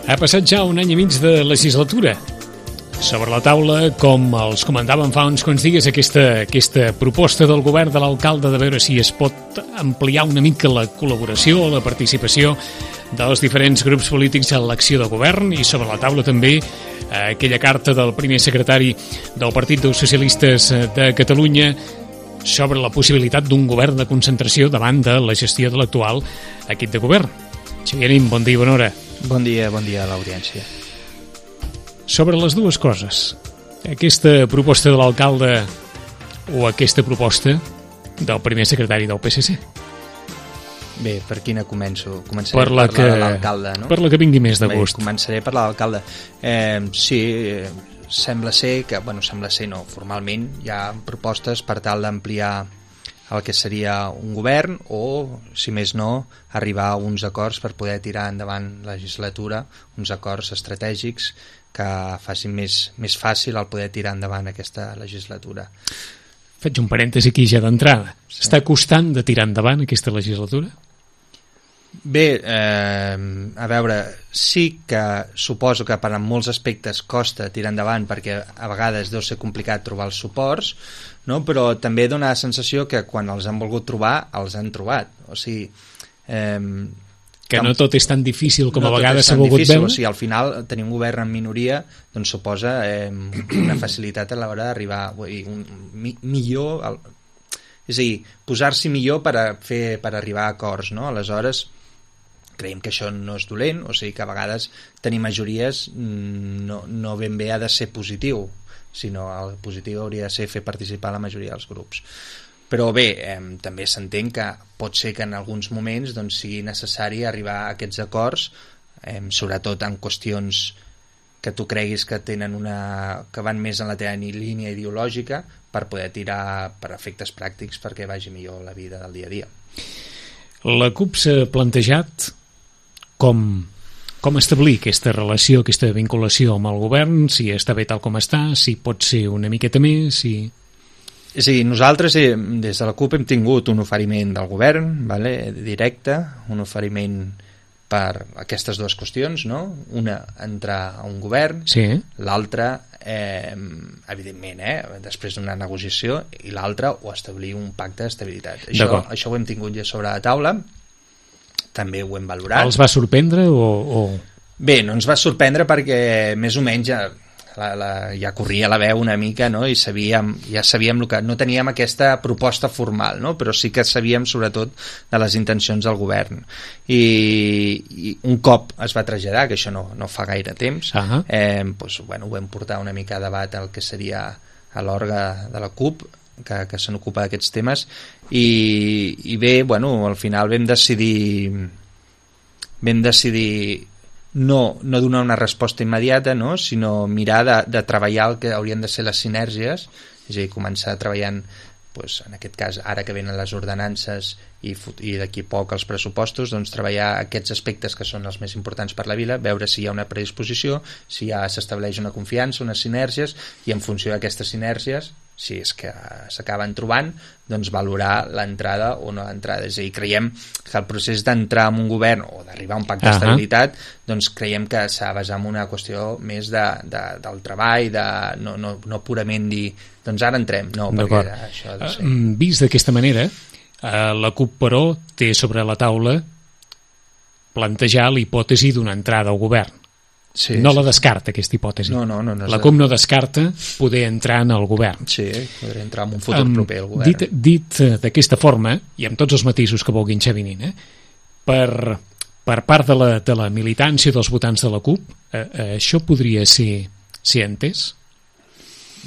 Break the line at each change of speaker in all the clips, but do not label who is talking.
Ha passat ja un any i mig de legislatura. Sobre la taula, com els comentàvem fa uns quants dies, aquesta proposta del govern de l'alcalde de veure si es pot ampliar una mica la col·laboració o la participació dels diferents grups polítics en l'acció de govern, i sobre la taula també aquella carta del primer secretari del Partit dels Socialistes de Catalunya sobre la possibilitat d'un govern de concentració davant de la gestió de l'actual equip de govern. Xavier Nin, bon dia i bona hora.
Bon dia a l'audiència.
Sobre les dues coses, aquesta proposta de l'alcalde o aquesta proposta del primer secretari del PSC?
Bé, per quina començo? Començaré
per la
parlar de l'alcalde, no?
Per la que vingui més de gust.
Bé, començaré per l'alcalde. Sembla ser que, formalment hi ha propostes per tal d'ampliar el que seria un govern o, si més no, arribar a uns acords per poder tirar endavant la legislatura, uns acords estratègics que facin més fàcil el poder tirar endavant aquesta legislatura.
Faig un parèntesi aquí ja d'entrada. Sí. Està costant de tirar endavant aquesta legislatura?
Bé, a veure, sí que suposo que per en molts aspectes costa tirar endavant perquè a vegades deu ser complicat trobar els suports, no? Però també dona la sensació que quan els han volgut trobar, els han trobat. O sigui...
que no tot és tan difícil com a vegades s'ha volgut
veure.
veure?
O sigui, al final tenir un govern en minoria doncs suposa una facilitat a l'hora d'arribar millor... És a dir, posar-s'hi millor per arribar a acords, no? Aleshores, creiem que això no és dolent, o sigui que a vegades tenir majories no ben bé ha de ser positiu, sinó el positiu hauria de ser fer participar la majoria dels grups. Però bé, també s'entén que pot ser que en alguns moments doncs, sigui necessari arribar a aquests acords, sobretot en qüestions que tu creguis que que van més en la teva línia ideològica, per poder tirar per efectes pràctics perquè vagi millor la vida del dia a dia.
La CUP s'ha plantejat com establir aquesta relació, aquesta vinculació amb el govern, si està bé tal com està, si pot ser una miqueta més, si...
És a dir, nosaltres des de la CUP hem tingut un oferiment del govern, directe, un oferiment per aquestes dues qüestions, no? Una, entrar a un govern,
sí.
L'altra, evidentment, després d'una negociació, i l'altra, o establir un pacte d'estabilitat. Això ho hem tingut ja sobre la taula, també ho hem valorat.
Els va sorprendre o...?
Bé, no ens va sorprendre perquè més o menys ja corria la veu una mica, no? I ja sabíem que no teníem aquesta proposta formal, no? Però sí que sabíem sobretot de les intencions del govern, i un cop es va traslladar, que això no fa gaire temps, ho vam portar una mica a debat el que seria a l'òrgan de la CUP que se n'ocupa d'aquests temes, i bé, al final vam decidir no donar una resposta immediata, no? Sinó mirar de treballar el que haurien de ser les sinergies, és a dir, començar treballant, en aquest cas, ara que venen les ordenances i d'aquí a poc els pressupostos, doncs treballar aquests aspectes que són els més importants per la vila, veure si hi ha una predisposició, si ja s'estableix una confiança, unes sinergies, i en funció d'aquestes sinergies, si és que s'acaben trobant, doncs valorar l'entrada o no l'entrada. És a dir, creiem que el procés d'entrar en un govern o d'arribar a un pacte d'estabilitat, doncs creiem que s'ha de basar en una qüestió més del treball, no purament dir doncs ara entrem, no, perquè això ha de ser.
Vist d'aquesta manera, la CUP, però, té sobre la taula plantejar la hipòtesi d'una entrada al govern.
Sí,
no la descarta, aquesta hipòtesi.
No,
la CUP no descarta poder entrar en el govern.
Sí, poder entrar en un futur proper al govern.
Dit d'aquesta forma, i amb tots els matisos que vulguin Xavier Nin, per part de la militància dels votants de la CUP, això podria ser entès?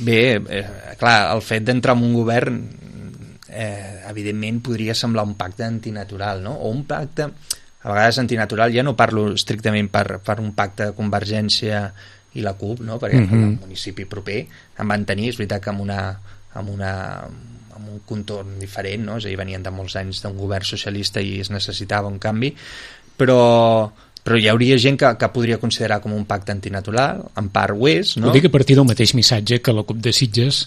Bé, clar, el fet d'entrar en un govern evidentment podria semblar un pacte antinatural, no? O un pacte... A vegades antinatural, ja no parlo estrictament per un pacte de Convergència i la CUP, no? Perquè el municipi proper en van tenir, és veritat que amb un contorn diferent, no? És a dir, venien de molts anys d'un govern socialista i es necessitava un canvi, però hi hauria gent que podria considerar com un pacte antinatural, en part ho és, no?
Ho dic a partir del mateix missatge que la CUP de Sitges,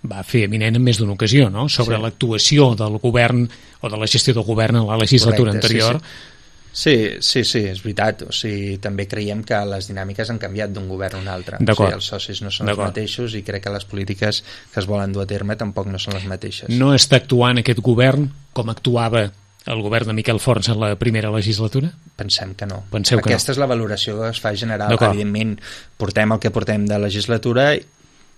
va fer eminent en més d'una ocasió, no? Sobre l'actuació del govern o de la gestió del govern en la legislatura anterior.
Sí. Sí, és veritat. O sigui, també creiem que les dinàmiques han canviat d'un govern a un altre. O sigui, els socis no són els mateixos i crec que les polítiques que es volen dur a terme tampoc no són les mateixes.
No està actuant aquest govern com actuava el govern de Miquel Forns en la primera legislatura?
Pensem que no.
Aquesta
és la valoració que es fa general. Evidentment, portem el que portem de legislatura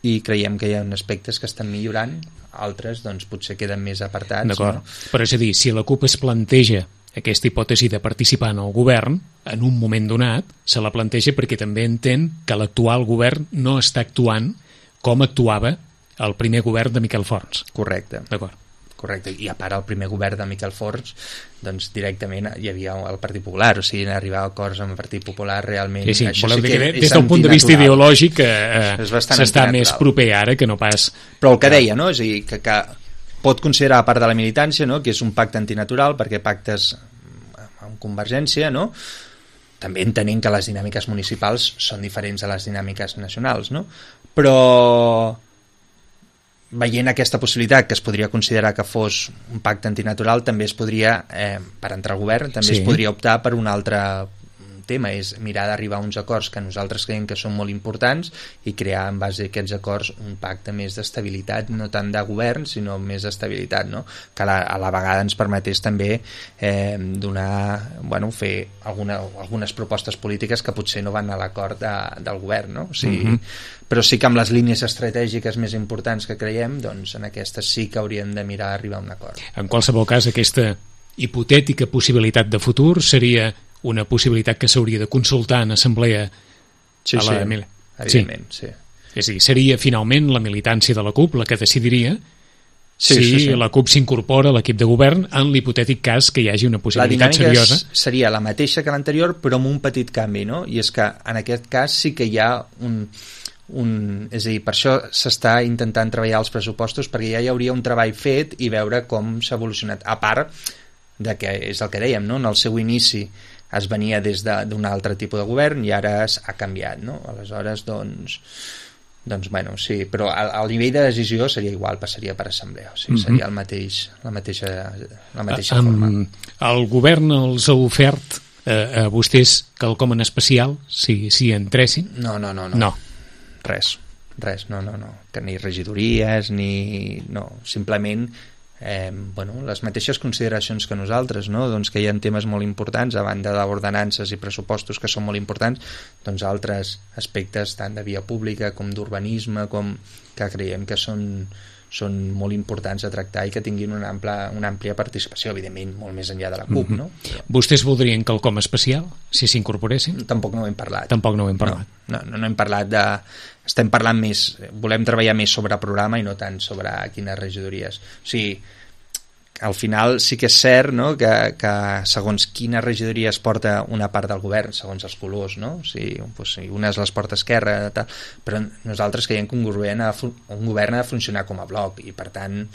i creiem que hi ha aspectes que estan millorant, altres doncs potser queden més apartats.
D'acord, no? Però és a dir, si la CUP es planteja aquesta hipòtesi de participar en el govern, en un moment donat, se la planteja perquè també entén que l'actual govern no està actuant com actuava el primer govern de Miquel Forns.
Correcte.
D'acord.
Correcte, i a part el primer govern de Miquel Forns doncs directament hi havia el Partit Popular, o sigui, arribar a acords amb el Partit Popular realment...
Sí, voleu dir que des del punt de vista ideològic s'està més proper ara que no pas...
Però el que deia, no? És a dir, que pot considerar part de la militància, no? Que és un pacte antinatural, perquè pactes amb Convergència, no? També entenent que les dinàmiques municipals són diferents a les dinàmiques nacionals, no? Però veient aquesta possibilitat que es podria considerar que fos un pacte antinatural, també es podria, per entrar al govern, també es podria optar per un altre tema, és mirar d'arribar a uns acords que nosaltres creiem que són molt importants i crear en base a aquests acords un pacte més d'estabilitat, no tant de govern sinó més d'estabilitat, no? Que a la vegada ens permetés també fer algunes propostes polítiques que potser no van a l'acord del govern, no? O sigui, però sí que amb les línies estratègiques més importants que creiem, doncs en aquestes sí que hauríem de mirar d'arribar a un acord.
En qualsevol cas, aquesta hipotètica possibilitat de futur seria una possibilitat que s'hauria de consultar en assemblea
a la evidentment, sí.
És a dir, seria finalment la militància de la CUP la que decidiria si la CUP s'incorpora a l'equip de govern en l'hipotètic cas que hi hagi una possibilitat seriosa.
La dinàmica seria la mateixa que l'anterior però amb un petit canvi, no? I és que en aquest cas sí que hi ha és a dir, per això s'està intentant treballar els pressupostos, perquè ja hi hauria un treball fet i veure com s'ha evolucionat, a part de que és el que dèiem, no? En el seu inici es venia des d'un altre tipus de govern i ara ha canviat, no? Aleshores, doncs bueno, sí, però el nivell de decisió seria igual, passaria per assemblea, o sigui, seria la mateixa forma.
El govern els ha ofert a vostès quelcom en especial, si entressin?
No. Res, no. Que ni regidories, ni... No, simplement... les mateixes consideracions que nosaltres, no? Doncs que hi ha temes molt importants a banda d'ordenances i pressupostos que són molt importants, doncs altres aspectes tant de via pública com d'urbanisme, com que creiem que són molt importants a tractar i que tinguin una àmplia participació, evidentment molt més enllà de la CUP, no?
Vostès voldrien quelcom especial si s'incorporessin?
Tampoc no ho hem parlat. No hem parlat de... Estem parlant més, volem treballar més sobre programa i no tant sobre quines regidories. O sigui, al final sí que és cert, no? que segons quina regidoria es porta una part del govern, segons els colors, no? O sigui, unes les porta Esquerra, tal, però nosaltres creiem que un govern ha de funcionar com a bloc i per tant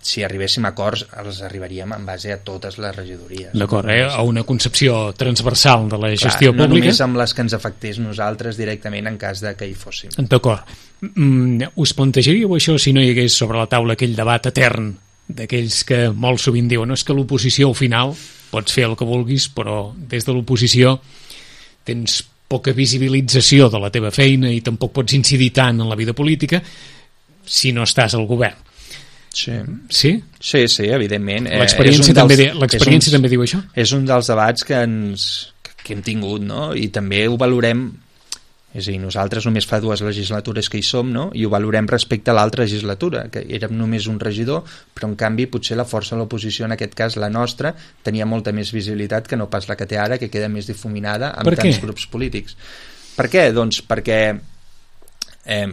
si arribéssim a acords els arribaríem en base a totes les regidories.
D'acord, a una concepció transversal de la gestió pública.
No només amb les que ens afectés nosaltres directament en cas de que hi fóssim.
D'acord. Us plantejaríeu això si no hi hagués sobre la taula aquell debat etern d'aquells que molt sovint diuen no, és que l'oposició al final pots fer el que vulguis però des de l'oposició tens poca visibilització de la teva feina i tampoc pots incidir tant en la vida política si no estàs al govern.
Sí, evidentment.
L'experiència també diu això?
És un dels debats que hem tingut, no? I també ho valorem, és a dir, nosaltres només fa 2 legislatures que hi som, no? I ho valorem respecte a l'altra legislatura, que érem només un regidor, però en canvi potser la força de l'oposició, en aquest cas la nostra, tenia molta més visibilitat que no pas la que té ara, que queda més difuminada amb tants grups polítics. Per què? Doncs perquè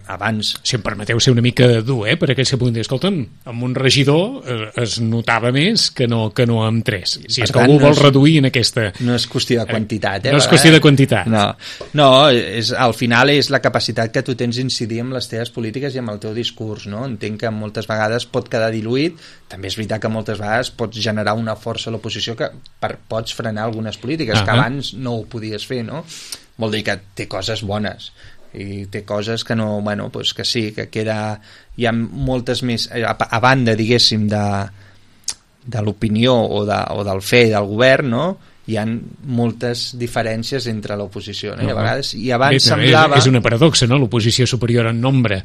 abans...
Si em permeteu ser una mica dur, per aquell punt dir, escolta'm, amb un regidor es notava més que no amb 3. Si és que algú vol reduir en aquesta...
No és qüestió de quantitat,
No és qüestió de quantitat.
No, al final és la capacitat que tu tens d'incidir amb les teves polítiques i amb el teu discurs, no? Entenc que moltes vegades pot quedar diluït, també és veritat que moltes vegades pots generar una força a l'oposició que pots frenar algunes polítiques que abans no ho podies fer, no? Vol dir que té coses bones i té coses que no, doncs que sí, que queda, hi ha moltes més, a banda, diguéssim, de l'opinió o del fer del govern, no? Hi ha moltes diferències entre l'oposició, no? I a vegades, i abans semblava...
És una paradoxa, no? L'oposició superior en nombre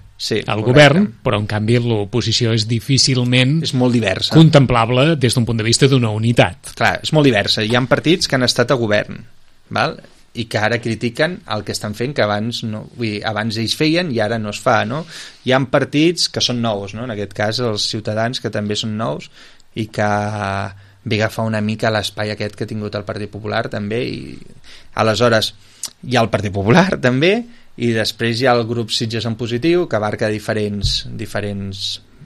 al govern, però en canvi l'oposició és difícilment...
És molt diversa.
Contemplable des d'un punt de vista d'una unitat.
Clar, és molt diversa. Hi ha partits que han estat a govern, val? I que ara critiquen el que estan fent, que abans no, vull dir, abans ells feien i ara no es fa, no? Hi ha partits que són nous, no? En aquest cas els Ciutadans, que també són nous i que ve agafar una mica l'espai aquest que ha tingut el Partit Popular també, i aleshores hi ha el Partit Popular també, i després hi ha el grup Sitges en Positiu, que abarca diferents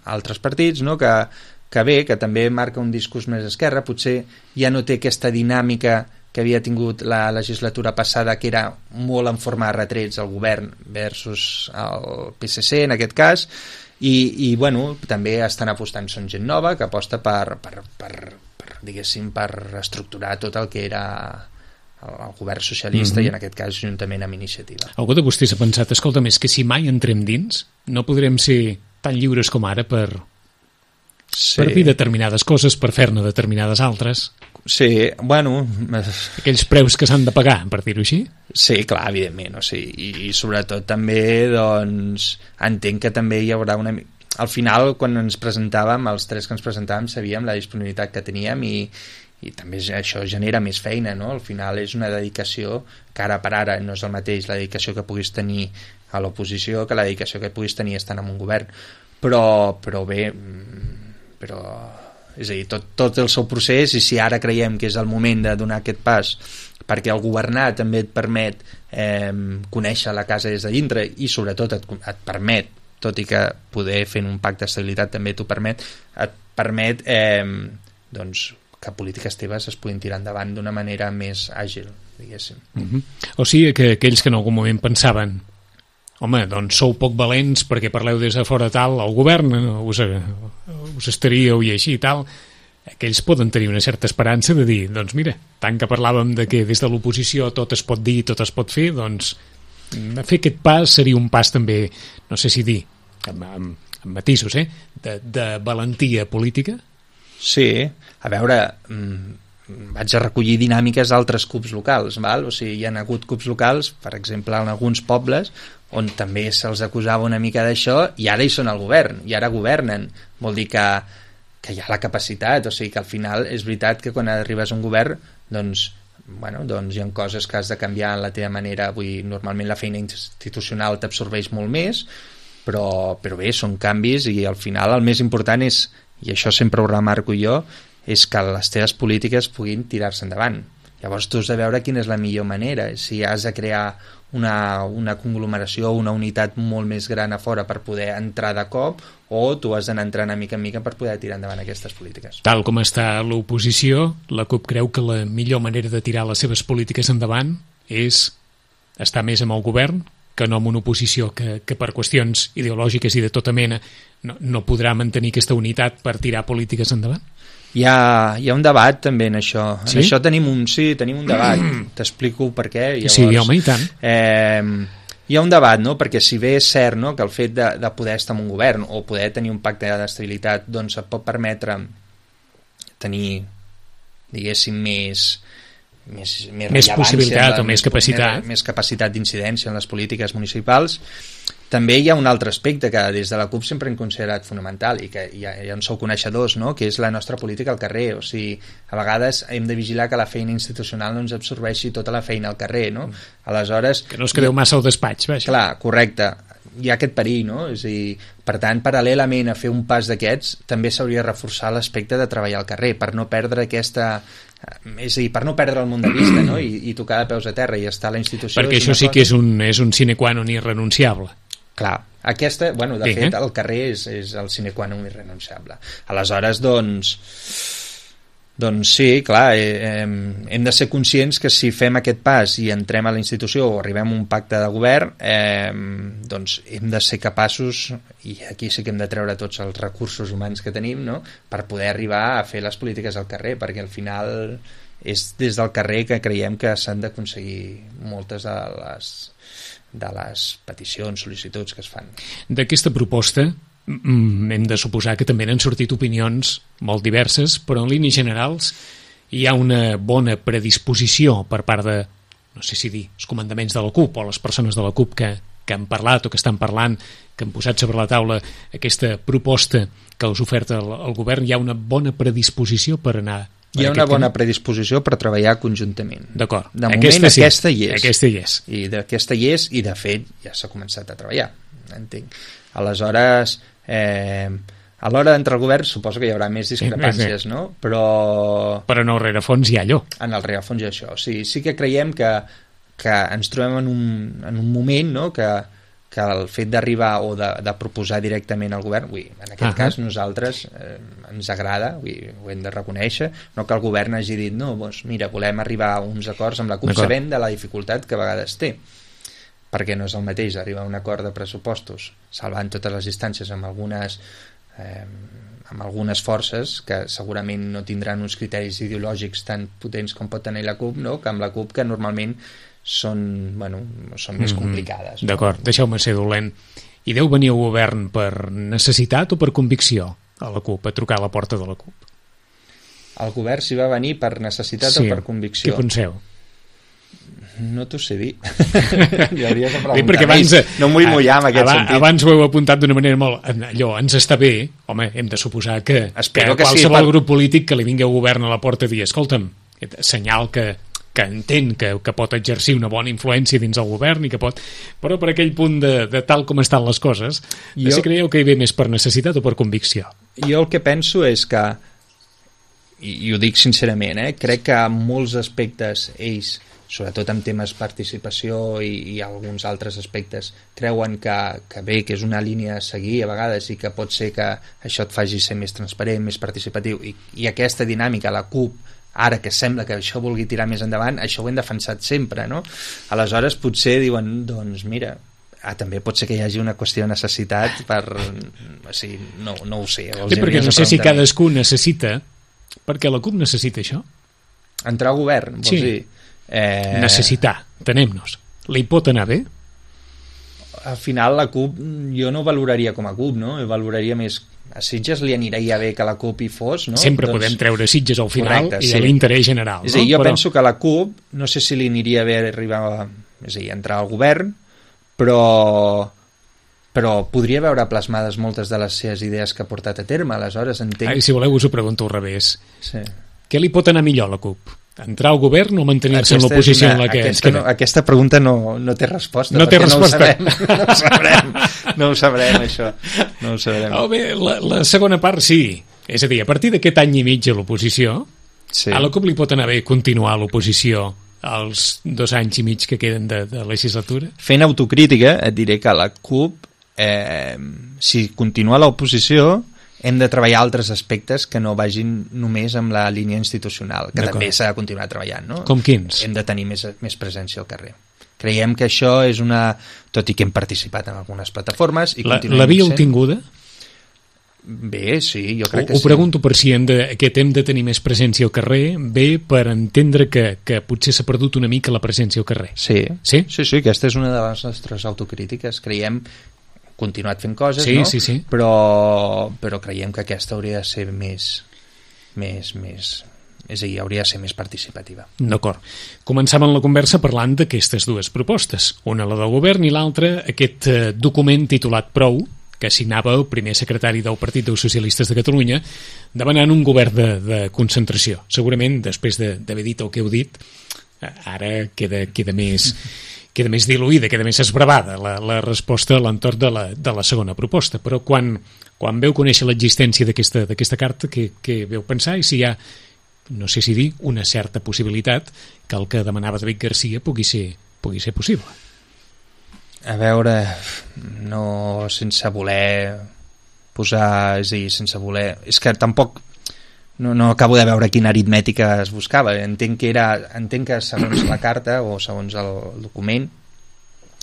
altres partits, no? que bé, que també marca un discurs més esquerra, potser ja no té aquesta dinàmica que havia tingut la legislatura passada, que era molt en forma de retrets al govern versus el PSC en aquest cas, i bueno, també estan apostant, són gent nova que aposta per diguéssim, per reestructurar tot el que era el govern socialista i en aquest cas juntament amb Iniciativa.
Algú de vostès ha pensat, escolta'm, és que si mai entrem dins no podrem ser tan lliures com ara per dir determinades coses, per fer-ne determinades altres.
Sí, bueno...
Aquells preus que s'han de pagar, per dir-ho així?
Sí, clar, evidentment, o sigui, i sobretot també, doncs, entenc que també hi haurà una... Al final, quan ens presentàvem, els tres que ens presentàvem, sabíem la disponibilitat que teníem i també això genera més feina, no? Al final és una dedicació que ara per ara no és el mateix la dedicació que puguis tenir a l'oposició que la dedicació que puguis tenir estant en un govern, però bé, però és a dir, tot el seu procés, i si ara creiem que és el moment de donar aquest pas, perquè el governar també et permet conèixer la casa des de dintre i sobretot et permet, tot i que poder fer un pacte d'estabilitat també t'ho permet, et permet doncs, que polítiques teves es puguin tirar endavant d'una manera més àgil, diguéssim.
O sigui que aquells que en algun moment pensaven, home, doncs sou poc valents perquè parleu des de fora tal, el govern us estaríeu i així i tal, aquells poden tenir una certa esperança de dir, doncs mira, tant que parlàvem de que des de l'oposició tot es pot dir, tot es pot fer, doncs fer aquest pas seria un pas també, no sé si dir, amb matisos, de valentia política?
Sí, a veure, vaig a recollir dinàmiques d'altres CUPs locals, val? O sigui, hi ha hagut CUPs locals, per exemple, en alguns pobles, on també se'ls acusava una mica d'això, i ara hi són al govern, i ara governen. Vol dir que hi ha la capacitat, o sigui que al final és veritat que quan arribes a un govern, doncs hi ha coses que has de canviar en la teva manera, normalment la feina institucional t'absorbeix molt més, però bé, són canvis, i al final el més important és, i això sempre ho remarco jo, és que les teves polítiques puguin tirar-se endavant. Llavors tu has de veure quina és la millor manera, si has de crear una conglomeració, una unitat molt més gran a fora per poder entrar de cop, o tu has d'anar entrant mica en mica per poder tirar endavant aquestes polítiques.
Tal com està l'oposició, la CUP creu que la millor manera de tirar les seves polítiques endavant és estar més amb el govern que no amb una oposició que per qüestions ideològiques i de tota mena no podrà mantenir aquesta unitat per tirar polítiques endavant?
Hi ha un debat també en això.
Sí?
En això tenim un debat. T'explico per què. Llavors,
sí, home, i tant.
Hi ha un debat, no? Perquè si bé és cert, no?, que el fet de poder estar en un govern o poder tenir un pacte d'estabilitat doncs et pot permetre tenir, diguéssim, més
possibilitat o més capacitat.
Més capacitat d'incidència en les polítiques municipals. També hi ha un altre aspecte que des de la CUP sempre hem considerat fonamental i que ja en sou coneixedors, no?, que és la nostra política al carrer. O sigui, a vegades hem de vigilar que la feina institucional no ens absorbeixi tota la feina al carrer, no? Aleshores...
Que no us quedeu massa al despatx, vaja.
Clar, correcte. Hi ha aquest perill, no? És a dir, per tant, paral·lelament a fer un pas d'aquests, també s'hauria de reforçar l'aspecte de treballar al carrer, per no perdre aquesta... És a dir, per no perdre el món de vista, no?, i tocar de peus a terra i estar a la institució...
Perquè això sí que és un sine qua non irrenunciable.
Clar, aquesta, bueno, de fet, el carrer és el sine qua non irrenunciable. Aleshores, doncs sí, clar, hem de ser conscients que si fem aquest pas i entrem a la institució o arribem a un pacte de govern, doncs hem de ser capaços, i aquí sí que hem de treure tots els recursos humans que tenim, no?, per poder arribar a fer les polítiques al carrer, perquè al final és des del carrer que creiem que s'han d'aconseguir moltes de les peticions, sol·licituds que es fan.
D'aquesta proposta, hem de suposar que també n'han sortit opinions molt diverses, però en línies generals hi ha una bona predisposició per part de, no sé si dir, els comandaments de la CUP o les persones de la CUP que han parlat o que estan parlant, que han posat sobre la taula aquesta proposta que us oferta el govern. Hi ha una bona predisposició per anar...
Hi ha una bona predisposició per treballar conjuntament.
D'acord.
De moment aquesta hi és.
Aquesta hi és.
I d'aquesta hi és, i de fet ja s'ha començat a treballar, entenc. Aleshores, a l'hora d'entrar al govern suposo que hi haurà més discrepàncies, no? Però
en el rerefons hi ha allò.
En el rerefons hi ha això. Sí que creiem que ens trobem en un moment, no?, que el fet d'arribar o de proposar directament al govern, en aquest cas nosaltres ens agrada, ho hem de reconèixer, no que el govern hagi dit no, doncs mira, volem arribar a uns acords amb la CUP, sabent de la dificultat que a vegades té, perquè no és el mateix arribar a un acord de pressupostos salvant totes les distàncies amb algunes forces que segurament no tindran uns criteris ideològics tan potents com pot tenir la CUP, no?, que amb la CUP, que normalment són més complicades. No?
D'acord, deixeu-me ser dolent. I deu venir al govern per necessitat o per convicció a la CUP, a trucar a la porta de la CUP?
El govern s'hi va venir per necessitat o per convicció?
Què penseu?
No t'ho sé dir. Li hauries de preguntar.
Perquè abans,
no m'ho vull mullar en aquest sentit.
Abans ho heu apuntat d'una manera molt... Allò, ens està bé, home, hem de suposar que qualsevol grup polític que li vingui al govern a la porta i dir, escolta'm, senyal que entén que pot exercir una bona influència dins el govern i que pot... Però per aquell punt de tal com estan les coses, si creieu que hi ve més per necessitat o per convicció?
Jo el que penso és que, i ho dic sincerament, crec que en molts aspectes ells, sobretot en temes participació i alguns altres aspectes, creuen que bé, que és una línia a seguir a vegades i que pot ser que això et faci ser més transparent, més participatiu, i aquesta dinàmica, la CUP, ara que sembla que això vulgui tirar més endavant, això ho hem defensat sempre, no? Aleshores potser diuen, doncs mira, també pot ser que hi hagi una qüestió de necessitat per... O sigui, no ho sé.
Perquè no sé si cadascú necessita... Perquè la CUP necessita això?
Entrar al govern, vols dir?
Necessitar, tenem-nos. Li pot anar bé?
Al final la CUP jo no valoraria com a CUP, no? Jo valoraria més... A Sitges li aniria bé que la CUP hi fos, no?
Sempre podem treure Sitges al final. Correcte, i de l'interès general.
És a dir, jo penso que la CUP, no sé si li aniria bé arribar és a dir, entrar al govern, però podria veure plasmades moltes de les seves idees que ha portat a terme, aleshores entenc...
Si voleu us ho pregunto al revés.
Sí.
Què li pot anar millor a la CUP? Entrar al govern o mantenir-se en l'oposició en la que ens queda?
Aquesta pregunta no té resposta.
No té resposta.
No ho sabrem, això. No ho sabrem.
Bé, la segona part sí. És a dir, a partir d'aquest any i mig a l'oposició, a la CUP li pot anar bé continuar a l'oposició els 2 anys i mig que queden de legislatura?
Fent autocrítica, et diré que la CUP, si continua a l'oposició, hem de treballar altres aspectes que no vagin només amb la línia institucional, que també s'ha de continuar treballant, no?
Com quins?
Hem de tenir més presència al carrer. Creiem que això és una... Tot i que hem participat en algunes plataformes...
L'havíeu tinguda?
Bé, sí, jo crec que sí.
Ho pregunto per si hem de tenir més presència al carrer, bé per entendre que potser s'ha perdut una mica la presència al carrer.
Sí, aquesta és una de les nostres autocrítiques. Creiem... continuat fent coses, no?
Sí.
Però creiem que aquesta hauria de ser més és a dir, hauria de ser més participativa.
D'acord. Començàvem la conversa parlant d'aquestes dues propostes, una la del govern i l'altra aquest document titulat Prou, que signava el primer secretari del Partit dels Socialistes de Catalunya demanant un govern de concentració. Segurament, després d'haver dit el que heu dit, ara queda més diluïda, queda més esbravada la resposta a l'entorn de la segona proposta. Però quan veu conèixer l'existència d'aquesta carta, què veu pensar i si hi ha, no sé si dir, una certa possibilitat que el que demanava David Garcia pugui ser possible?
A veure, no sense voler posar... És a dir, sense voler... És que tampoc... No acabo de veure quina aritmètica es buscava. Entenc que segons la carta o segons el document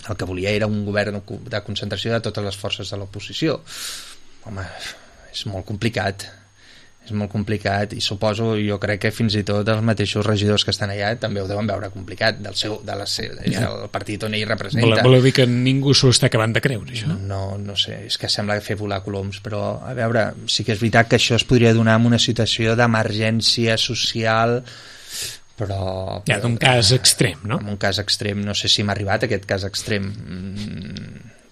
el que volia era un govern de concentració de totes les forces de l'oposició. Home, és molt complicat. és molt complicat, i suposo, jo crec que fins i tot els mateixos regidors que estan allà també ho deuen veure complicat del partit on ell representa.
Voleu dir que ningú s'ho està acabant de creure, això?
No sé, és que sembla fer volar coloms, però a veure, sí que és veritat que això es podria donar en una situació d'emergència social, però
d'un cas extrem, no?
En un cas extrem, no sé si hem arribat a aquest cas extrem.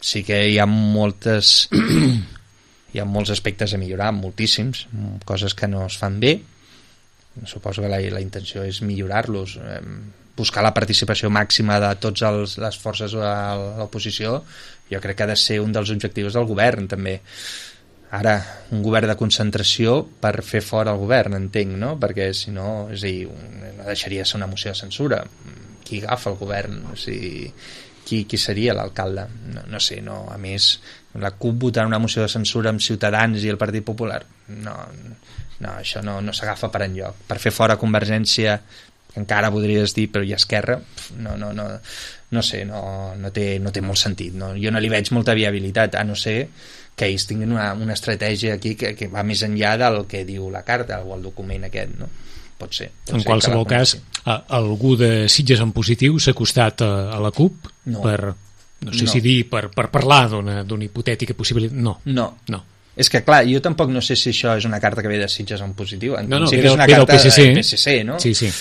Sí que hi ha molts aspectes a millorar, moltíssims, coses que no es fan bé. Suposo que la intenció és millorar-los, buscar la participació màxima de totes les forces de l'oposició. Jo crec que ha de ser un dels objectius del govern, també. Ara, un govern de concentració per fer fora el govern, entenc, no? Perquè si no, és a dir, no deixaria ser una moció de censura. Qui agafa el govern? O sigui, qui seria l'alcalde? No sé, no. A més, la CUP votant una moció de censura amb Ciutadans i el Partit Popular, no, això no s'agafa per enlloc. Per fer fora Convergència, que encara podries dir, però i Esquerra, no sé, no té molt sentit, no? Jo no li veig molta viabilitat, a no ser que ells tinguin una estratègia aquí que va més enllà del que diu la carta o el document aquest, no? Pot ser.
En qualsevol cas, algú de Sitges en positiu s'ha acostat a la CUP per parlar d'una hipotètica possibilitat? No.
És que, clar, jo tampoc no sé si això és una carta que ve de Sitges en positiu. En
principi
és una carta del PSC, no?
Sí.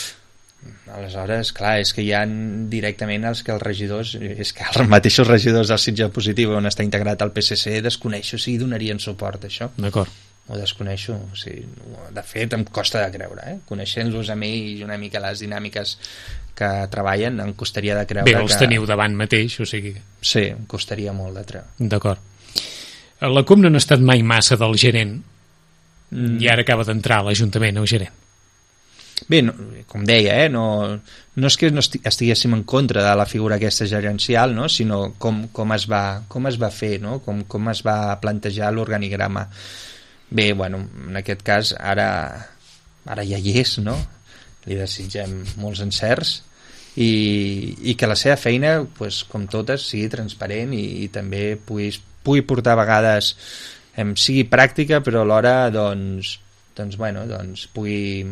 Aleshores, clar, és que hi ha directament els regidors, és que els mateixos regidors del Sitges en positiu on està integrat el PSC, desconeixo si donarien suport a això.
D'acord.
Ho desconeixo, o sigui, de fet em costa de creure, coneixent-los a mi i una mica les dinàmiques que treballen, em costaria de creure.
Bé, els teniu davant mateix, o sigui...
Sí, em costaria molt de treure.
D'acord. La CUP no ha estat mai massa del gerent i ara acaba d'entrar a l'Ajuntament, el gerent.
Bé, com deia, no és que no estiguéssim en contra de la figura aquesta gerencial, no? Sinó com es va fer, no? Com es va plantejar l'organigrama. Bé, bueno, en aquest cas ara ja hi és, no? Li desitgem molts encerts i que la seva feina, pues, com totes, sigui transparent i també pugui portar a vegades sigui pràctica, però alhora doncs pugui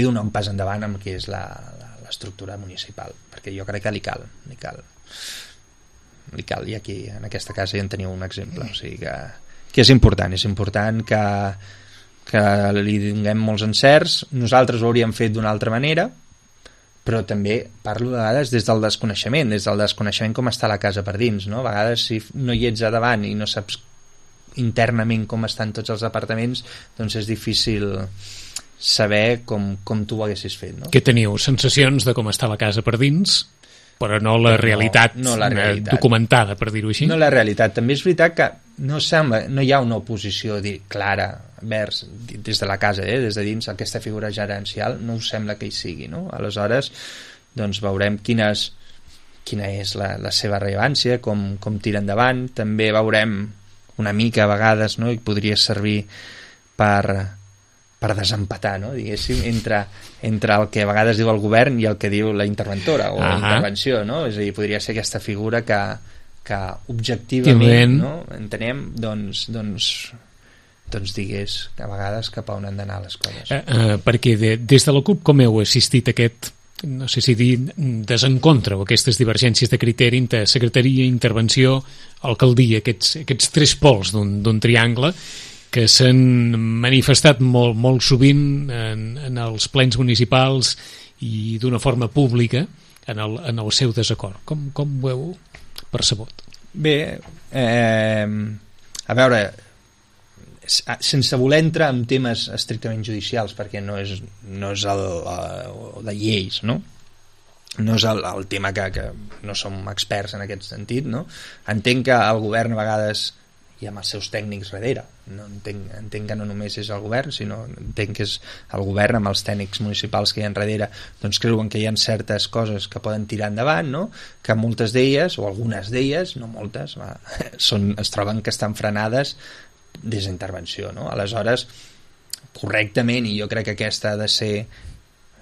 donar un pas endavant amb el que és l'estructura municipal, perquè jo crec que li cal, i aquí en aquesta casa ja en teniu un exemple, o sigui que és important que li donem molts encerts. Nosaltres ho hauríem fet d'una altra manera, però també parlo de vegades des del desconeixement com està la casa per dins, no? A vegades si no hi ets a davant i no saps internament com estan tots els departaments, doncs és difícil saber com tu ho haguessis fet, no?
Que teniu sensacions de com està la casa per dins, però no la realitat,
no la realitat
documentada, per dir-ho així.
No la realitat. També és veritat que no hi ha una oposició clara vers des de la casa, des de dins, aquesta figura gerencial no us sembla que hi sigui, no? Aleshores, doncs veurem quina és la seva rellevància, com tira endavant. També veurem una mica a vegades, no? I podria servir per desempatar, no? Diguéssim, entre el que a vegades diu el govern i el que diu la interventora o la intervenció, no? És a dir, podria ser aquesta figura que objectivament, no? Entenem, doncs digués a vegades cap a on han d'anar les coses.
Perquè des de la CUP com heu assistit a aquest, no sé si dir desencontre o aquestes divergències de criteri entre secretaria, intervenció, alcaldia, aquests tres pols d'un triangle que s'han manifestat molt sovint en els plens municipals i d'una forma pública en el seu desacord. Com ho heu percebut?
Bé, a veure, sense voler entrar en temes estrictament judicials, perquè no és el de lleis, no? No és el tema que no som experts en aquest sentit, no? Entenc que el govern a vegades i amb els seus tècnics darrere, no entenc que no només és el govern, sinó entenc que és el govern amb els tècnics municipals que hi ha darrere, doncs creuen que hi ha certes coses que poden tirar endavant, no? Que moltes d'elles, o algunes d'elles, no moltes, es troben que estan frenades des d'intervenció, no? Aleshores, correctament, i jo crec que aquesta ha de ser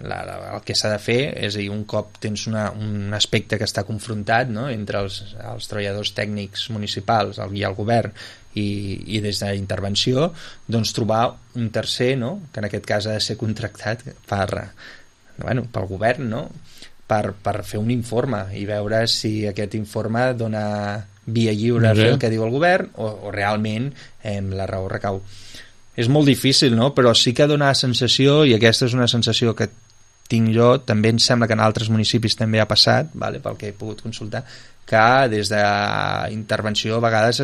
el que s'ha de fer és a dir, un cop tens un aspecte que està confrontat, no?, entre els treballadors tècnics municipals i el govern i des de intervenció, doncs trobar un tercer, no?, que en aquest cas ha de ser contractat pel govern, no?, per fer un informe i veure si aquest informe dona via lliure a fer el que diu el govern o realment la raó recau. És molt difícil, no?, però sí que dona la sensació, i aquesta és una sensació que tinc jo, també em sembla que en altres municipis també ha passat, pel que he pogut consultar, que des d'intervenció a vegades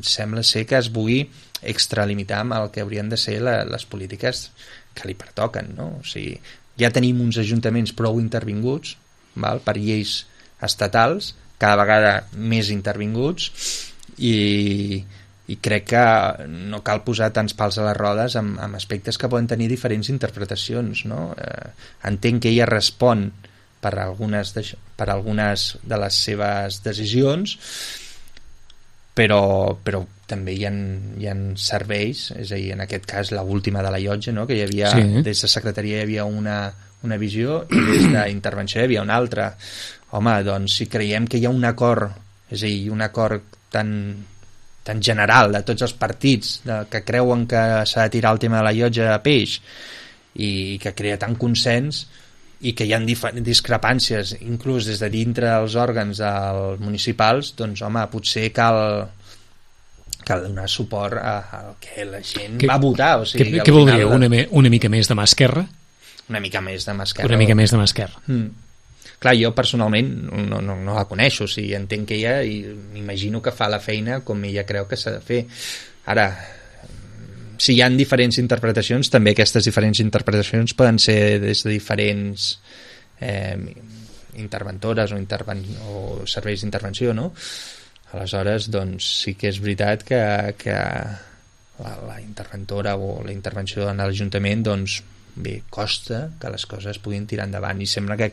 sembla ser que es vulgui extralimitar amb el que haurien de ser les polítiques que li pertoquen, no? O sigui, ja tenim uns ajuntaments prou intervinguts, per lleis estatals, cada vegada més intervinguts, i crec que no cal posar tants pals a les rodes amb aspectes que poden tenir diferents interpretacions, no? Entenc que ella respon per algunes de les seves decisions, però també hi ha serveis, és a dir, en aquest cas l'última de la llotja, no?, que hi havia, des de secretaria hi havia una visió i des d'intervenció hi havia una altra. Home, doncs si creiem que hi ha un acord, és a dir, un acord tan general de tots els partits que creuen que s'ha de tirar el tema de la llotja a peix i que crea tant consens i que hi ha discrepàncies inclús des de dintre dels òrgans municipals, doncs home, potser cal donar suport al que la gent va votar. O sigui,
què voldríeu? Una mica més de mà esquerra?
Una mica més de mà esquerra.
Una mica més de mà esquerra.
Clar, jo personalment no la coneixo, o sigui, entenc que ella i m'imagino que fa la feina com ella creu que s'ha de fer. Ara, si hi ha diferents interpretacions, també aquestes diferents interpretacions poden ser des de diferents interventores o serveis d'intervenció, no? Aleshores, doncs sí que és veritat que la interventora o la intervenció en l'Ajuntament, doncs bé, costa que les coses puguin tirar endavant, i sembla que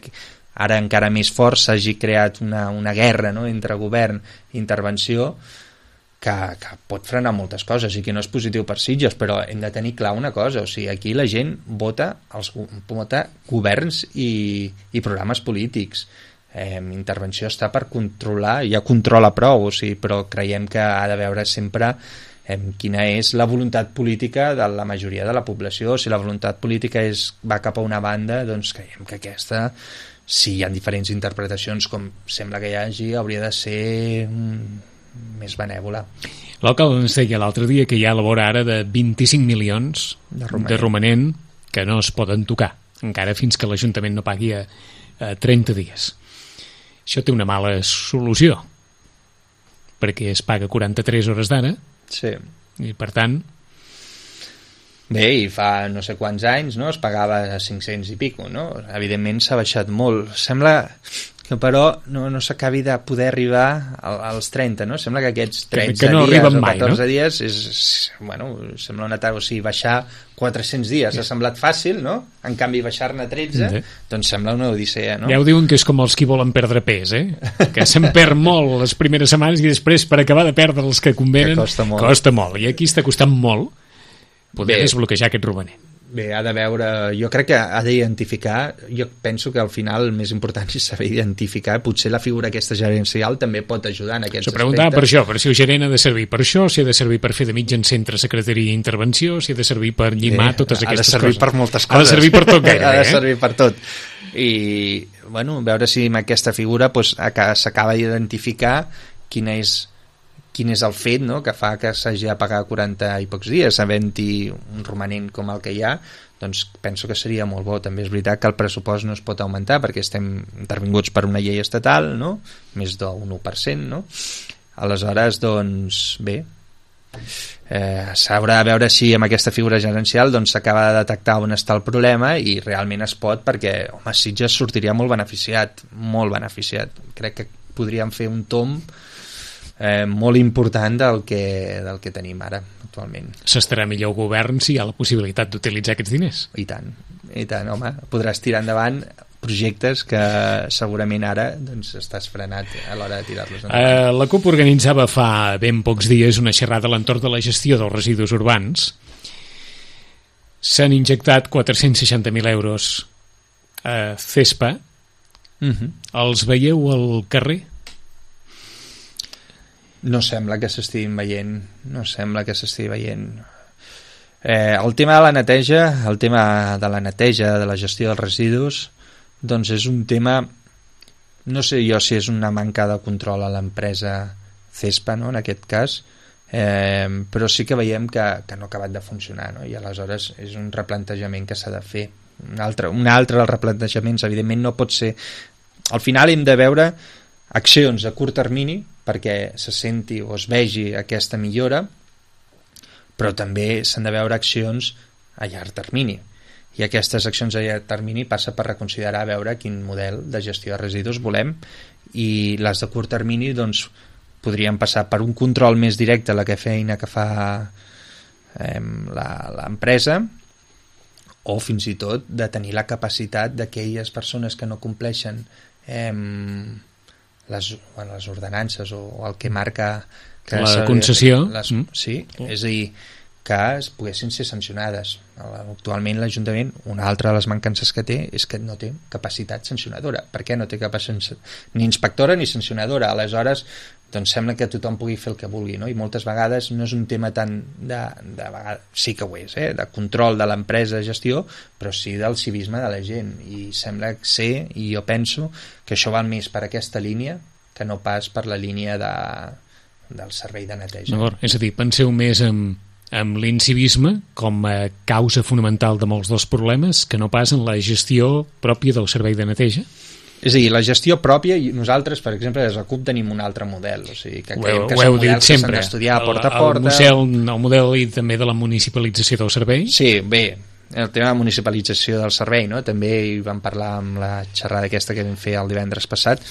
ara encara més fort s'hagi creat una guerra, no?, entre govern i intervenció que pot frenar moltes coses i que no és positiu per Sitges, però hem de tenir clar una cosa, o sigui, aquí la gent vota governs i programes polítics. Intervenció està per controlar, ja controla prou, o sigui, però creiem que ha de veure sempre quina és la voluntat política de la majoria de la població. Si la voluntat política va cap a una banda, doncs creiem que aquesta, si hi ha diferents interpretacions com sembla que hi hagi, hauria de ser més benèvola.
L'alcalde ens deia l'altre dia que hi ha a la vora ara de 25 milions de romanent que no es poden tocar, encara fins que l'Ajuntament no pagui a 30 dies. Això té una mala solució, perquè es paga 43 hores d'ara, i per tant...
Bé, i fa no sé quants anys, no?, es pagava a 500 i pico, no? Evidentment s'ha baixat molt. Sembla que però no s'acabi de poder arribar als 30, no? Sembla que aquests 13
no
dies o
14
dies sembla una taula, o sigui, baixar 400 dies ha semblat fàcil, no? En canvi baixar-ne 13 doncs sembla una odissea, no?
Ja ho diuen que és com els qui volen perdre pes, que se'n perd molt les primeres setmanes i després per acabar de perdre els que convenen costa molt, i aquí està costant molt poder desbloquejar aquest romanent.
Bé, ha de veure, jo crec que ha d'identificar, jo penso que al final el més important és saber identificar, potser la figura aquesta gerencial també pot ajudar en aquests aspectes.
S'ho preguntava per això, per si el gerent ha de servir per això, si ha de servir per fer de mitjan centre, secretaria i intervenció, si ha de servir per llimar totes aquestes coses.
Ha de servir per moltes coses.
Ha de servir per tot gairebé.
Ha de servir per tot. I, bueno, veure si amb aquesta figura s'acaba d'identificar quin és el fet, no?, que fa que s'hagi de pagar 40 i pocs dies, havent-hi un romanent com el que hi ha, doncs penso que seria molt bo. També és veritat que el pressupost no es pot augmentar perquè estem intervinguts per una llei estatal, no?, més d'un 1%, no? Aleshores, doncs, bé, s'haurà de veure si amb aquesta figura gerencial doncs s'acaba de detectar on està el problema i realment es pot, perquè, home, Sitges sortiria molt beneficiat. Crec que podríem fer un tomb molt important del que tenim ara actualment.
S'estarà millor el govern si hi ha la possibilitat d'utilitzar aquests diners.
I tant, home, podràs tirar endavant projectes que segurament ara doncs, estàs frenat a l'hora de tirar-los endavant.
La CUP organitzava fa ben pocs dies una xerrada a l'entorn de la gestió dels residus urbans. S'han injectat 460.000 euros CESPA, els veieu al carrer?
No sembla que s'estiguin veient, el tema de la neteja, de la gestió dels residus, doncs és un tema, no sé jo si és una manca de control a l'empresa CESPA, no?, en aquest cas, però sí que veiem que no ha acabat de funcionar, no?, i aleshores és un replantejament que s'ha de fer. Un altre dels replantejaments, evidentment, no pot ser... Al final hem de veure accions a curt termini perquè se senti o es vegi aquesta millora, però també s'han de veure accions a llarg termini. I aquestes accions a llarg termini passa per reconsiderar, veure quin model de gestió de residus volem, i les de curt termini doncs, podrien passar per un control més directe a la feina que fa l'empresa, o fins i tot de tenir la capacitat d'aquelles persones que no compleixen les ordenances o el que marca que
la concessió,
sí, és a dir, que es poguessin ser sancionades. Actualment l'Ajuntament, una altra de les mancances que té és que no té capacitat sancionadora. Per què no té capacitat ni inspectora ni sancionadora? Aleshores, doncs sembla que tothom pugui fer el que vulgui, no? I moltes vegades no és un tema tant sí que ho és, de control de l'empresa de gestió, però sí del civisme de la gent, i sembla ser, i jo penso que això va més per aquesta línia que no pas per la línia del servei de neteja.
És a dir, penseu més amb l'incivisme com a causa fonamental de molts dels problemes que no pas en la gestió pròpia del servei de neteja?
És a dir, la gestió pròpia, i nosaltres, per exemple, des de CUP tenim un altre model, o sigui, que creiem que són models que s'han d'estudiar porta a porta.
El model i també de la municipalització del servei?
Sí, bé, el tema de municipalització del servei, no? També hi vam parlar amb la xerrada aquesta que vam fer el divendres passat,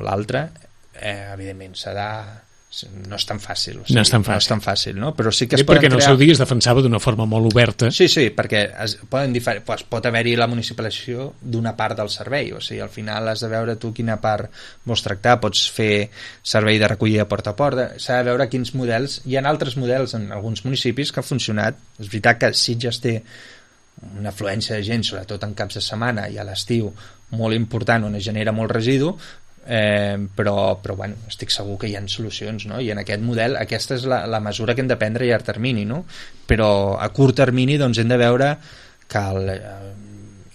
l'altre, evidentment no és tan fàcil, o sigui, no és tan fàcil, no? Però sí que es
perquè en el seu dia es defensava d'una forma molt oberta.
Sí, perquè pot haver-hi la municipalització d'una part del servei, o sigui, al final has de veure tu quina part vols tractar, pots fer servei de recollida porta a porta, s'ha de veure quins models, hi ha altres models en alguns municipis que ha funcionat. És veritat que Sitges té una afluència de gent, sobretot en caps de setmana i a l'estiu, molt important, on es genera molt residu, però bueno, estic segur que hi ha solucions, no? I en aquest model aquesta és la mesura que hem de prendre a llarg termini, no? Però a curt termini doncs hem de veure que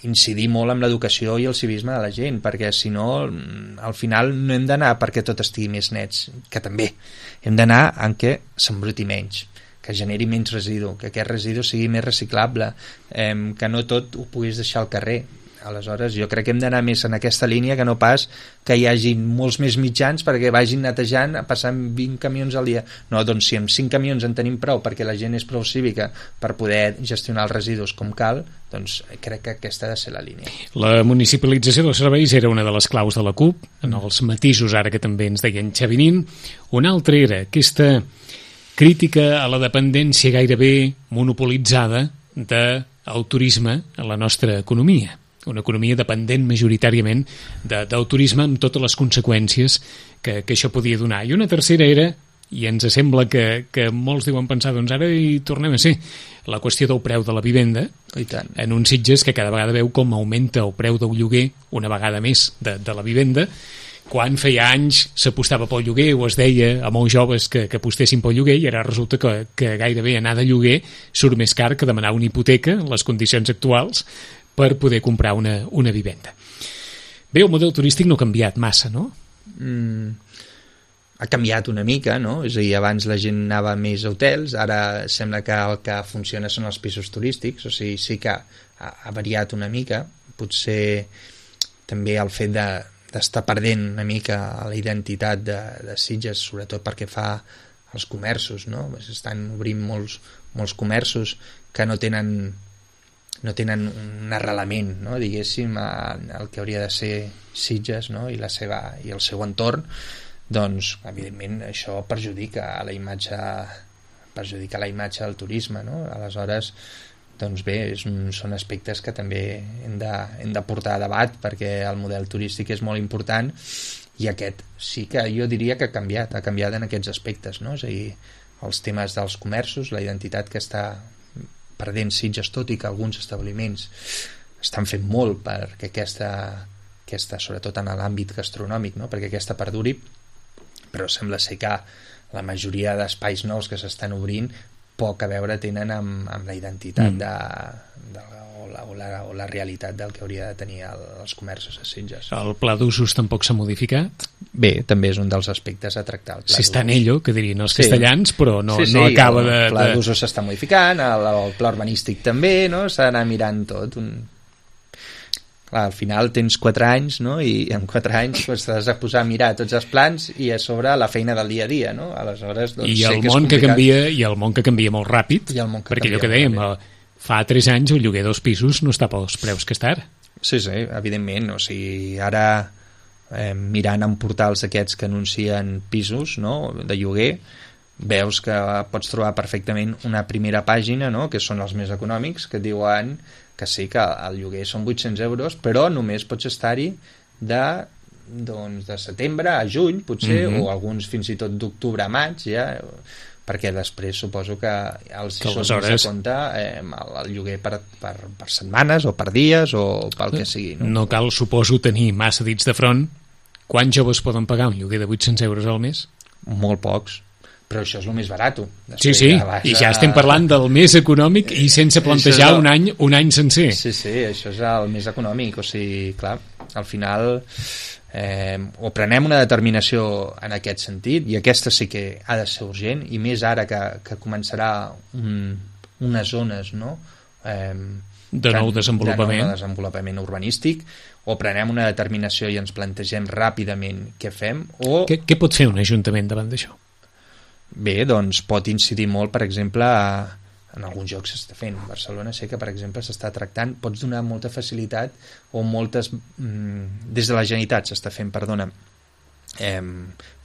incidir molt en l'educació i el civisme de la gent, perquè si no al final no hem d'anar perquè tot estigui més nets, que també hem d'anar en què s'embruti menys, que generi menys residu, que aquest residu sigui més reciclable, que no tot ho puguis deixar al carrer. Aleshores jo crec que hem d'anar més en aquesta línia que no pas que hi hagi molts més mitjans perquè vagin netejant, passant 20 camions al dia. No, doncs si amb 5 camions en tenim prou perquè la gent és prou cívica per poder gestionar els residus com cal, doncs crec que aquesta ha de ser la línia.
La municipalització dels serveis era una de les claus de la CUP, en els matisos ara que també ens deien Xavinín. Una altra era aquesta crítica a la dependència gairebé monopolitzada del turisme a la nostra economia. Una economia dependent majoritàriament del turisme amb totes les conseqüències que això podia donar. I una tercera era, i ens sembla que molts deuen pensar, doncs ara hi tornem a ser, la qüestió del preu de la vivenda, en uns Sitges que cada vegada veu com augmenta el preu del lloguer, una vegada més, de la vivenda, quan feia anys s'apostava pel lloguer o es deia a molts joves que apostessin pel lloguer, i ara resulta que gairebé anar de lloguer surt més car que demanar una hipoteca en les condicions actuals per poder comprar una vivenda. Bé, el model turístic no ha canviat massa, no?
Ha canviat una mica, no? És a dir, abans la gent anava més a hotels, ara sembla que el que funciona són els pisos turístics, o sigui, sí que ha variat una mica, potser també el fet d'estar perdent una mica la identitat de Sitges, sobretot perquè fa els comerços, no? S'estan obrint molts comerços que no tenen un arrelament, no? Diguéssim, el que hauria de ser Sitges, no? I el seu entorn, doncs evidentment això perjudica la imatge del turisme, no? Aleshores, doncs bé, són aspectes que també hem de portar a debat, perquè el model turístic és molt important, i aquest sí que jo diria que ha canviat en aquests aspectes, no? És a dir, els temes dels comerços, la identitat que està perdent Sitges, tot i que alguns establiments estan fent molt perquè aquesta sobretot en l'àmbit gastronòmic, no? Perquè aquesta perduri, però sembla ser que la majoria d'espais nous que s'estan obrint poc a veure tenen amb la identitat o la realitat del que hauria de tenir els comerços a Sitges.
El pla d'usos tampoc s'ha modificat?
Bé, també és un dels aspectes a tractar.
Si està en ello, que dirien els castellans, però no acaba de...
El pla d'usos s'està modificant, el pla urbanístic també, no? S'ha d'anar mirant tot. Clar, al final tens 4 anys, no? I en 4 anys t'has de posar a mirar tots els plans i a sobre la feina del dia a dia, no? Aleshores, doncs,
I el món que canvia, molt ràpid, perquè allò que dèiem, fa 3 anys el lloguer dels pisos no està pels preus que està ara.
Sí, evidentment. O sigui, ara mirant en portals aquests que anuncien pisos, no?, de lloguer, veus que pots trobar perfectament una primera pàgina, no?, que són els més econòmics, que et diuen que sí, que el lloguer són 800 euros, però només pots estar-hi de setembre a juny, potser, o alguns fins i tot d'octubre a maig, ja, perquè després suposo que els
aleshores
de compte el lloguer per setmanes o per dies o pel que sigui.
No cal, suposo, tenir massa dits de front. Quants joves poden pagar un lloguer de 800 euros al mes?
Molt pocs. Però això és el més barat.
Sí, i ja estem parlant del més econòmic i sense plantejar un any sencer.
Sí, això és el més econòmic. O sigui, clar, al final o prenem una determinació en aquest sentit, i aquesta sí que ha de ser urgent, i més ara que començarà unes zones, no?,
de nou
desenvolupament urbanístic, o prenem una determinació i ens plantegem ràpidament què fem, o...
Què pot fer un ajuntament davant d'això?
Bé, doncs pot incidir molt, per exemple, en alguns jocs s'està fent. A Barcelona sé que, per exemple, s'està tractant, pots donar molta facilitat o moltes... des de la Generalitat s'està fent,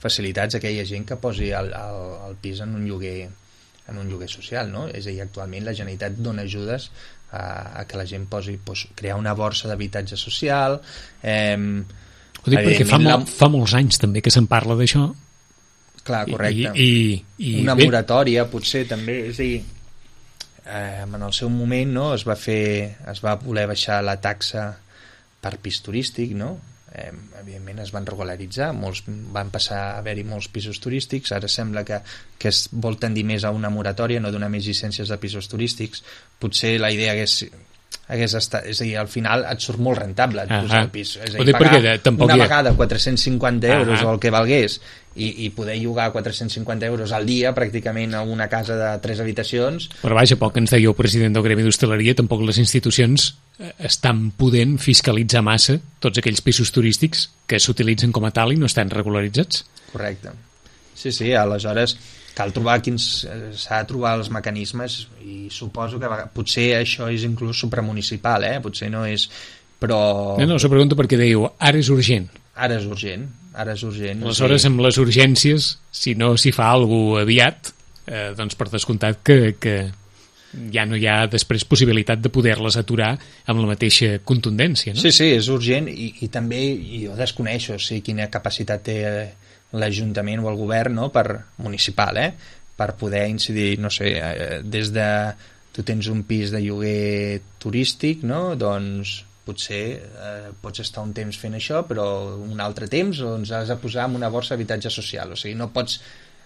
facilitats a aquella gent que posi el pis en un lloguer social, no? És a dir, actualment la Generalitat dona ajudes a que la gent posi, crear una borsa d'habitatge social.
Ho dic perquè fa molts anys també que se'n parla d'això.
Clar, correcte. Una moratòria, potser, també, és a dir, en el seu moment, no?, es va voler baixar la taxa per pis turístic, no? Evidentment es van regularitzar, van passar a haver-hi molts pisos turístics, ara sembla que es vol tendir més a una moratòria, no donar més llicències de pisos turístics. Potser la idea hagués estat, és a dir, al final et surt molt rentable posar el pis, és a dir, pagar una vegada 450 euros o el que valgués i poder llogar 450 euros al dia pràcticament a una casa de 3 habitacions.
Però vaja, pel que ens deia el president del Gremi d'Hostaleria, tampoc les institucions estan podent fiscalitzar massa tots aquells pisos turístics que s'utilitzen com a tal i no estan regularitzats.
Correcte. Sí, aleshores cal trobar s'ha de trobar els mecanismes, i suposo que potser això és inclús supramunicipal, potser no és, però...
No, s'ho pregunto perquè dèieu, ara és urgent.
Ara és urgent.
Aleshores, amb les urgències, si no s'hi fa alguna cosa aviat, doncs per descomptat que ja no hi ha després possibilitat de poder-les aturar amb la mateixa contundència, no?
Sí, és urgent, i també jo desconeixo quina capacitat té l'Ajuntament o el govern, no?, municipal, per poder incidir, no sé, des de... Tu tens un pis de lloguer turístic, no?, doncs potser pots estar un temps fent això, però un altre temps doncs has de posar en una borsa d'habitatge social. O sigui, no pots...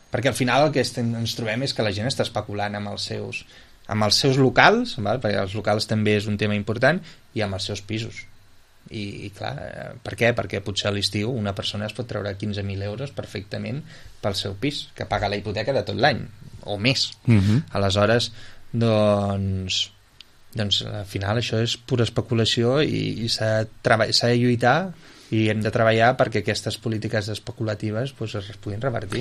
Perquè al final el que ens trobem és que la gent està especulant amb els seus locals, perquè els locals també és un tema important, i amb els seus pisos. I clar, per què? Perquè potser a l'estiu una persona es pot treure 15.000 euros perfectament pel seu pis, que paga la hipoteca de tot l'any, o més. Aleshores, doncs al final això és pura especulació, i s'ha de lluitar, i hem de treballar perquè aquestes polítiques especulatives es puguin revertir.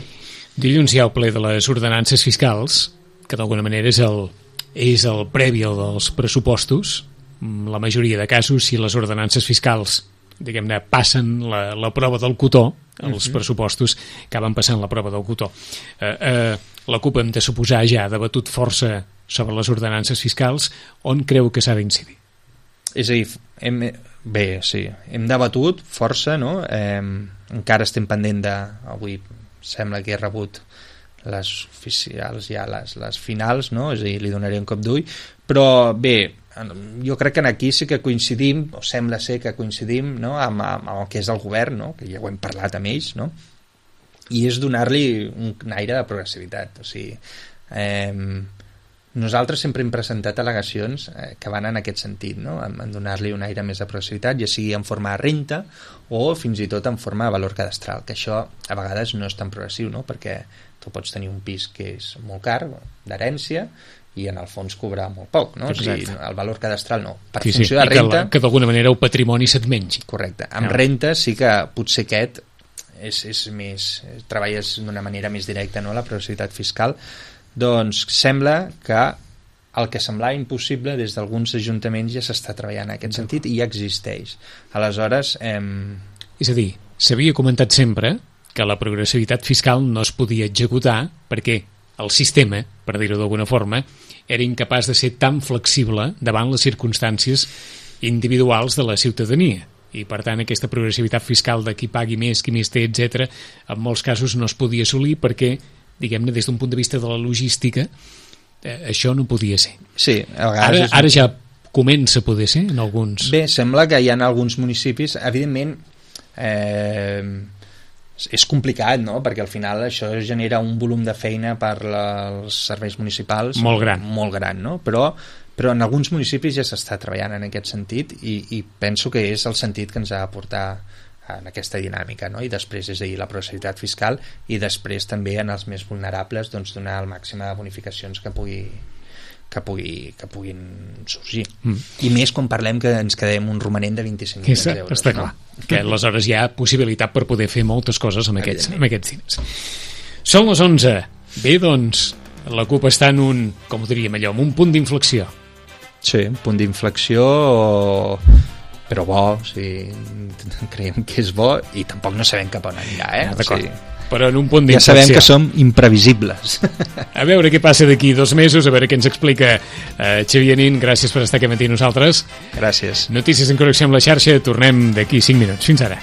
Dilluns hi ha el ple de les ordenances fiscals, que d'alguna manera és el previ dels pressupostos. La majoria de casos, si les ordenances fiscals, diguem-ne, passen la prova del cotó, els pressupostos acaben passant la prova del cotó. La CUP, hem de suposar, ja ha debatut força sobre les ordenances fiscals. On creu que s'ha d'incidir?
És a dir, hem debatut força, no? Encara estem pendent avui sembla que he rebut les oficials, ja les finals, no? És a dir, li donaré un cop d'ull, però bé, jo crec que aquí sí que coincidim, o sembla ser que coincidim, no? amb el que és el govern, no? Que ja ho hem parlat amb ells, no? I és donar-li un aire de progressivitat. O sigui, nosaltres sempre hem presentat al·legacions que van en aquest sentit, no? En donar-li un aire més de progressivitat, ja sigui en forma de renta o fins i tot en forma de valor cadastral, que això a vegades no és tan progressiu, no? Perquè tu pots tenir un pis que és molt car, d'herència, i en el fons cobrar molt poc, no? O sigui, el valor cadastral no. Per funció de renta...
Que d'alguna manera el patrimoni se't mengi.
Correcte. Amb renta sí que potser aquest és més... treballes d'una manera més directa, no?, la progressivitat fiscal. Doncs sembla que el que semblava impossible des d'alguns ajuntaments ja s'està treballant en aquest sentit i ja existeix. Aleshores...
És a dir, s'havia comentat sempre que la progressivitat fiscal no es podia executar perquè el sistema, per dir-ho d'alguna forma, era incapaç de ser tan flexible davant les circumstàncies individuals de la ciutadania. I, per tant, aquesta progressivitat fiscal de qui pagui més, qui més té, etc., en molts casos no es podia assolir perquè, diguem-ne, des d'un punt de vista de la logística, això no podia ser.
Sí, a vegades...
Ara ja comença a poder ser en alguns...
Bé, sembla que hi ha alguns municipis, evidentment, és complicat, no?, perquè al final això genera un volum de feina per als serveis municipals
molt gran,
no? Però en alguns municipis ja s'està treballant en aquest sentit i penso que és el sentit que ens ha de portar en aquesta dinàmica, no? I després, és a dir, la progressivitat fiscal i després també en els més vulnerables doncs donar el màxim de bonificacions que puguin sorgir. I més quan parlem que ens quedem un romanent de 25 milions d'euros.
Està clar, que aleshores hi ha possibilitat per poder fer moltes coses amb aquests diners. Són les 11. Bé, doncs, la CUP està en un, com ho diríem allò, en un punt d'inflexió.
Sí, un punt d'inflexió, però bo, o sigui, creiem que és bo i tampoc no sabem cap on anirà,
D'acord.
O sigui,
però en un punt d'inflexió.
Ja sabem que som imprevisibles.
A veure què passa d'aquí 2 mesos, a veure què ens explica Xavier Nin. Gràcies per estar aquí amb nosaltres.
Gràcies.
Notícies en connexió amb la xarxa, tornem d'aquí 5 minuts. Fins ara.